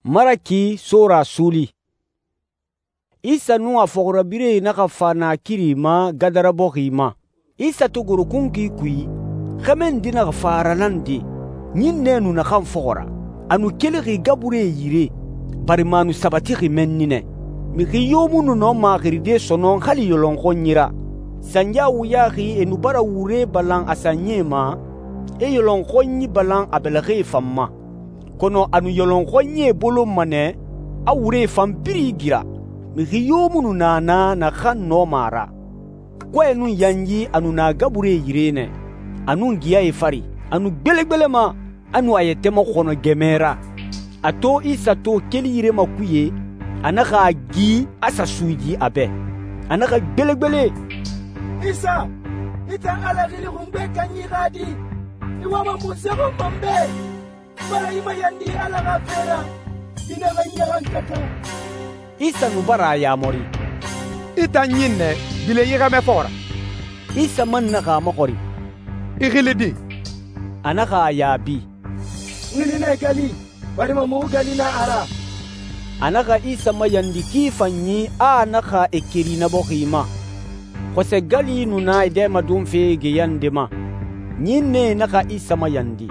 Maraki Sora Suuli. Isa nun a fɔxirabirɛe naxa fa naakiri ma Gadara bɔxi ma. Isa to goro kunkui kui, xɛmɛ nde naxa fa a ra nande. Ɲinnɛ nu naxan fɔxɔ ra. A nu kelixi gaburie yire, barima a nu sabatixi mɛnni nɛ. Mixi yo mu nu nɔma xiride sɔnɔn hali yɔlɔnxɔnyi ra. Sanya wuyaxi e nu bara wure balan a sanyie ma, e yɔlɔnxɔnyi balan a bɛlɛxɛe fan ma. Kɔnɔ a nu yɔlɔnxɔnyie bolonma nɛ, a wuree fan birin igira. Mixi yo mu nu na na naxan nɔma a ra. Kɔɛ nun yanyi a nu na gaburie yire nɛ, a nun giyae fari. A nu gbelegbelema, a nu a yɛtɛ maxɔnɔ gɛmɛ ra. A to Isa to keli yire makuye, a naxa a gi, a sa suyidi a bɛ. A naxa gbelegbele, Isa, i tan Ala xili xungbe kanyi xa di, i wama munse xɔnma n bɛ, bara i mayandi Ala xa fe ra, i naxa ɲaxankata. Isa nu bara a yamari, i tan ɲinnɛ gbilen i xɛmɛ fɔxɔ ra. Isa man naxa a maxɔri, i xili di? a naxa a yaabi, n xili nɛ gali, barima muxu gali na a ra. A naxa Isa mayandi ki fanyi a naxa e keri na bɔxi ma. Xɔsɛ gali nu na e dɛmadonfe geyande ma. Ɲinnɛe naxa Isa mayandi,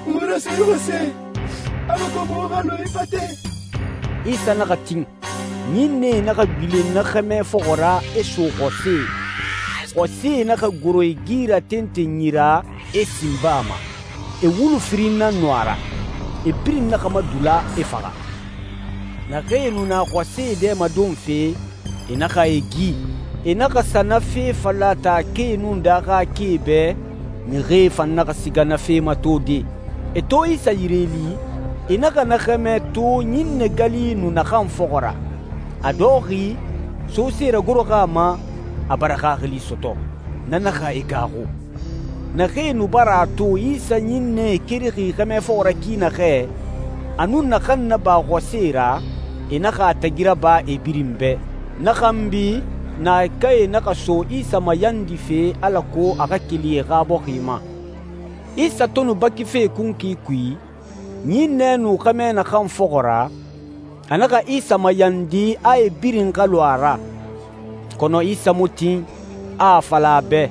muxu na se xɔsɛ, alako muxu xa lo i fate. Isa naxa tin. Ɲinnɛe naxa gbilen na xɛmɛ fɔxɔ ra e so xɔse. Xɔse naxa goro e gira tentenyi ra e sin baa ma. E wulu firin na nu a ra. E birin naxa madula e faxa. Naxee nu na xɔse dɛmadonfe, e naxa e gi. E naxa sa na fe fala taakee nun daaxaakee bɛ, mixie fan naxa siga na fe ma tode. E to Isa yireli, e naxa na xɛmɛ to ɲinnɛ gali nu naxan fɔxɔ ra. A dɔxi, sose ragoroxa a ma, a bara xaxili sɔtɔ. Na naxa e gaaxu. Naxee nu bara a to Isa ɲinnɛ kerixi xɛmɛ fɔxɔ ra ki naxɛ, a nun naxan naba xɔse ra, e naxa a tagira ba e birin bɛ. Na xanbi, naakae naxa so Isa mayandife alako a xa keli e xa bɔxi ma. Isa to nu bakife kunkui kui, ɲinnɛ nu xɛmɛ naxan fɔxɔ ra, a naxa Isa mayandi a e birin xa lu a ra. Kɔnɔ Isa mu tin, a a fala a bɛ,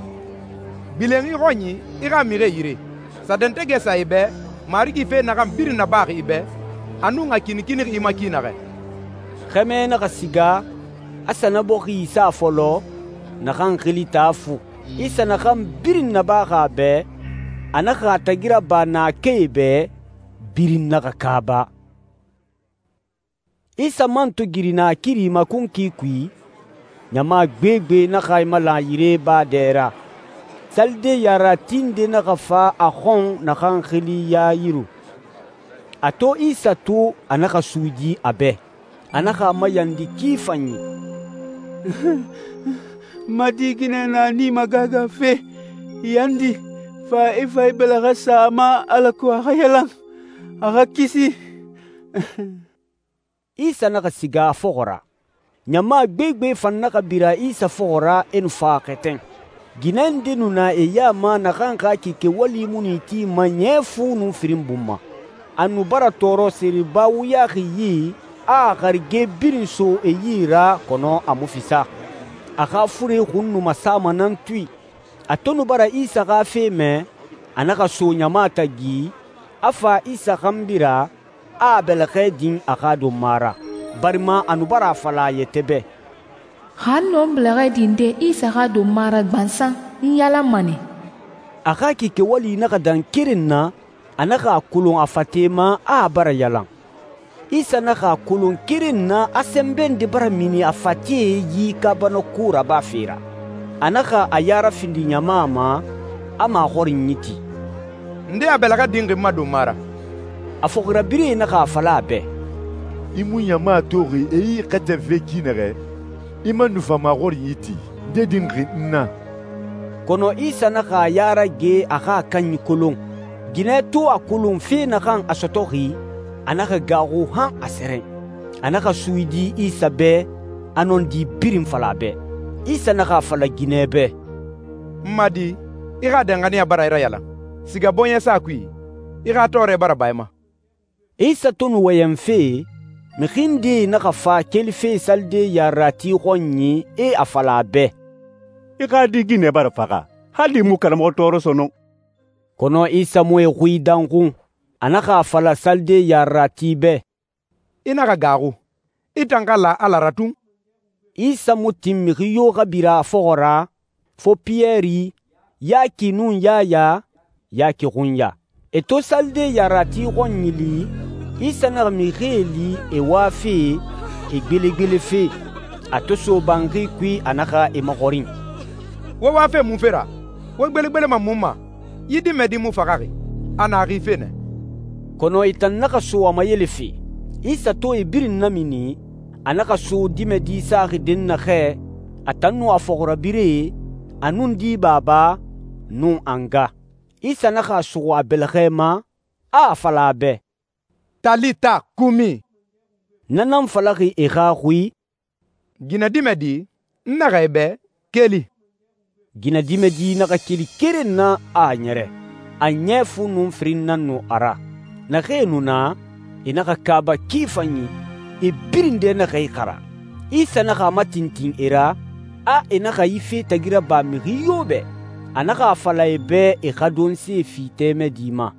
Gbilen i xɔnyi i xa mixie yire. Sadɛntɛ gɛ sa i bɛ, Marigi fe naxan birin nabaxi i bɛ, a nun a kinikinixi i ma ki naxɛ. Xɛmɛ naxa siga, a sa na bɔxi sa fɔlɔ, naxan xili Taafu. Isa naxan birin nabaxi a bɛ, a naxa a tagira ba naakee bɛ, birin naxa kaaba. Isa man to giri naakiri ma kunkui kui, ɲama gbegbe naxa i malan yire baa dɛ ra. Salide yaratinde naxa fa a xɔn naxan xili Yayiru. A to Isa to, a naxa suyidi a bɛ. A naxa a mayandi ki fanyi, Ma di ginɛ na ni magaga fe, yandi, fa i fa i bɛlɛxɛ sa a ma alako a xa yalan, a xa kisi. Isa naxa siga a fɔxɔ ra. Ɲama gbegbe fan naxa bira Isa fɔxɔ ra e nu fa xɛtɛn. Ginɛ nde nu na e ya ma naxan xa kike wali mu nu ti ma ɲɛ fu nun firin bun ma. A nu bara tɔɔrɔ seriba wuyaxi yi, a xarige birin so e yi ra kɔnɔ a mu fisa. A xa fure xun nu masama nan tui. A to nu bara Isa xa fe mɛ, a naxa so ɲama tagi, a fa Isa xanbira, a bɛlɛxɛ din a xa donma ra, barima a nu bara a fala a yɛtɛ bɛ, xa nɔ bɛlɛxɛ dinde Isa xa donma ra gbansan n yalanma nɛ. A xa kike wali naxa dan keren na, a naxa a kolon a fate ma a bara yalan. Isa naxa a kolon keren na a sɛnbɛn de bara mini a fatee yi kabana ko raba fe ra. A naxa a yara findi ɲama ma, a maxɔrin yi ti, Nde a bɛlɛxɛ dinxi n ma donma ra? a fɔxirabirɛe naxa a fala a bɛ, I mu ɲama toxi e y'i xɛtɛnfe ki naxɛ, i ma nu fa maxɔrin yi ti, nde dinxi n na? Kɔnɔ Isa naxa a yara ge a xa a kanyi kolon. Ginɛ to a kolon fe naxan a sɔtɔxi, a naxa gaaxu han a sɛrɛn. A naxa suyidi Isa bɛ, a nɔndi birin fala a bɛ. Isa naxa a fala ginɛ bɛ, N ma di, i xa danganiya bara i rayalan. Siga bɔɲɛ sa kui, i xa tɔɔrɛ bara ba i ma. Isa to nu wɔyɛnfe, mixi ndee naxa fa kelife salide yarerati xɔnyi, e a fala a bɛ, «I xa di ginɛ bara faxa, hali i mu karamɔxɔ tɔɔrɔ sɔnɔn.» Kɔnɔ Isa mu e xui danxun. A naxa a fala salide yarerati bɛ, «I naxa gaaxu. I tan xa la Ala ra tun.» Isa mu tin mixi yo xa bira a fɔxɔ ra, fo Piyɛri, Yaki nun Yaya, Yaki xunya. E to salide yarerati xɔnyi li, Isa naxa mixie li e wafe, e gbelegbelefe. A to so banxi kui, a naxa e maxɔrin, Wo wafe mun fe ra? Wo gbelegbelema mun ma? Yi dimɛdi mu faxaxi. A na xife nɛ. kɔnɔ e tan naxa so a mayelefe. Isa to e birin namini, a naxa so dimɛdi saxi dɛnnaxɛ, a tan nun a fɔxirabirɛe, a nun di baba, nun a nga. Isa naxa a suxu a bɛlɛxɛ ma, a fala a bɛ, «Talita kumi.» na nan falaxi e xa xui, Ginɛ dimɛdi, n naxa i bɛ, keli. ginɛdimɛdi naxa keli keren na a ɲɛrɛ. A ɲɛ fu nun firin nan nu a ra. Naxee nu na, e naxa kaaba ki fanyi, e birin dɛ naxa i xara. Isa naxa a matintin e ra, a e naxa yi fe tagi raba mixi yo bɛ. A naxa a fala e bɛ e xa donse fi tɛmɛ di ma.